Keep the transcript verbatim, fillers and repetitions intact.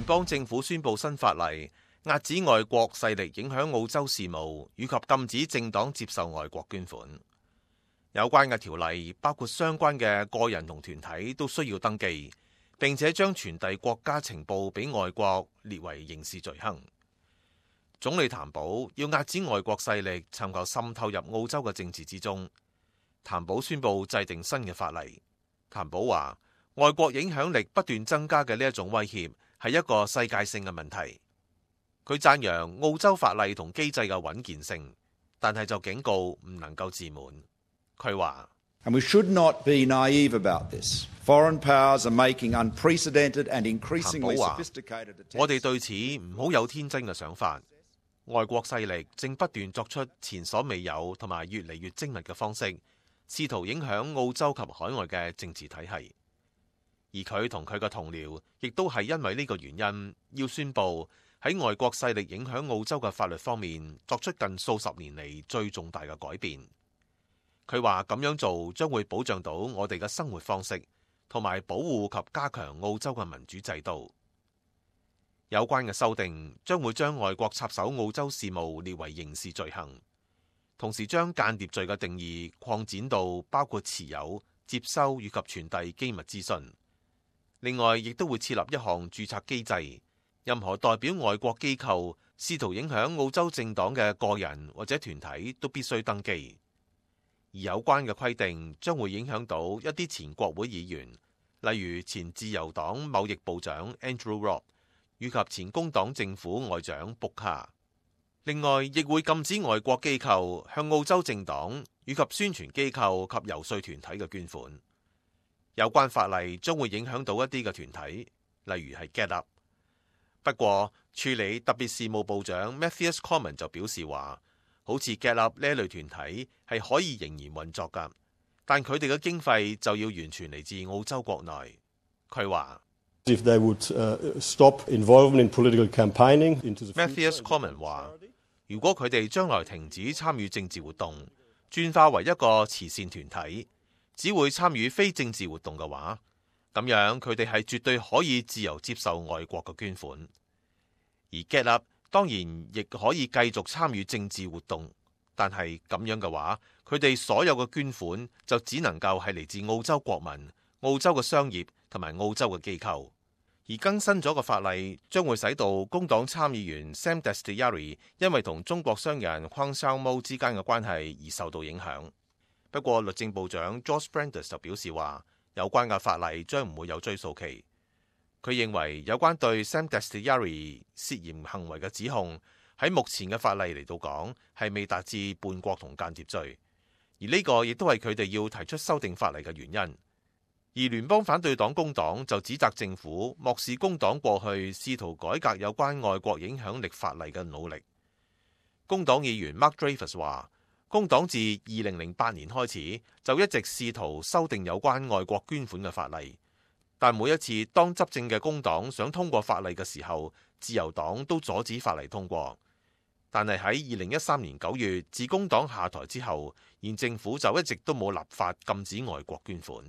邦政府宣布新法例，遏止外國勢力影響澳洲事務，以及禁止政黨接受外國捐款。有關嘅條例包括相關嘅個人同團體都需要登記，並且將傳遞國家情報俾外國列為刑事罪行。總理譚寶要遏止外國勢力尋求滲透入澳洲嘅政治之中。譚寶宣布制定新嘅法例。譚寶話：外國影響力不斷增加嘅呢一種威脅係一個世界性嘅問題。佢讚揚澳洲法例同機制嘅穩健性，但係就警告唔能夠自滿。佢話：And we should not be naive about this. Foreign powers are making unprecedented and increasingly sophisticated attempts. 我哋對此唔好有天真嘅想法。外國勢力正不斷作出前所未有同埋越嚟越精密嘅方式，試圖影響澳洲及海外嘅政治體系。而佢同佢嘅同僚亦都係因為呢個原因，要宣布喺外國勢力影響澳洲嘅法律方面作出近數十年嚟最重大嘅改變。佢話咁樣做將會保障到我哋嘅生活方式，同埋保護及加強澳洲嘅民主制度。有關嘅修訂將會將外國插手澳洲事務列為刑事罪行，同時將間諜罪嘅定義擴展到包括持有、接收以及傳遞機密資訊。另外，亦都會設立一項註冊機制，任何代表外國機構試圖影響澳洲政黨嘅個人或者團體都必須登記。而有關嘅規定將會影響到一啲前國會議員，例如前自由黨貿易部長 Andrew Robb 以及前工黨政府外長布卡。另外，亦會禁止外國機構向澳洲政黨以及宣傳機構及遊說團體嘅捐款。有關法例將會影響到一啲嘅團體，例如係 Get Up。不過，處理特別事務部長 Matthias Cormann 就表示話，好似 Get Up 呢一類團體係可以仍然運作㗎，但佢哋嘅經費就要完全嚟自澳洲國內。佢話 If they would, uh, stop involvement in political campaigning into the Matthias Cormann 話，如果佢哋將來停止參與政治活動，轉化為一個慈善團體，只會參與非政治活動嘅話，咁樣佢哋係絕對可以自由接受外國嘅捐款。而 Get Up 當然亦可以繼續參與政治活動，但係咁樣嘅話，佢哋所有嘅捐款就只能夠係嚟自澳洲國民、澳洲嘅商業同埋澳洲嘅機構。而更新咗個法例將會使到工黨參議員 Sam Dastyari 因為同中國商人 Kwang Siu Mo 之間嘅關係而受到影響。不過律政部長 George Brandis 就表示話，有關嘅法例將唔會有追訴期。佢認為有關對 Sam Dastyari 涉嫌行為嘅指控，喺目前嘅法例嚟到講係未達至叛國同間諜罪，而呢個亦都係佢哋要提出修訂法例嘅原因。而聯邦反對黨工黨就指責政府漠視工黨過去試圖改革有關外國影響力法例嘅努力。工黨議員 Mark Dreyfus 話，工黨自二零零八年開始就一直試圖修訂有關外國捐款嘅法例，但每一次當執政嘅工黨想通過法例嘅時候，自由黨都阻止法例通過。但係喺二零一三年九月自工黨下台之後，現政府就一直都冇立法禁止外國捐款。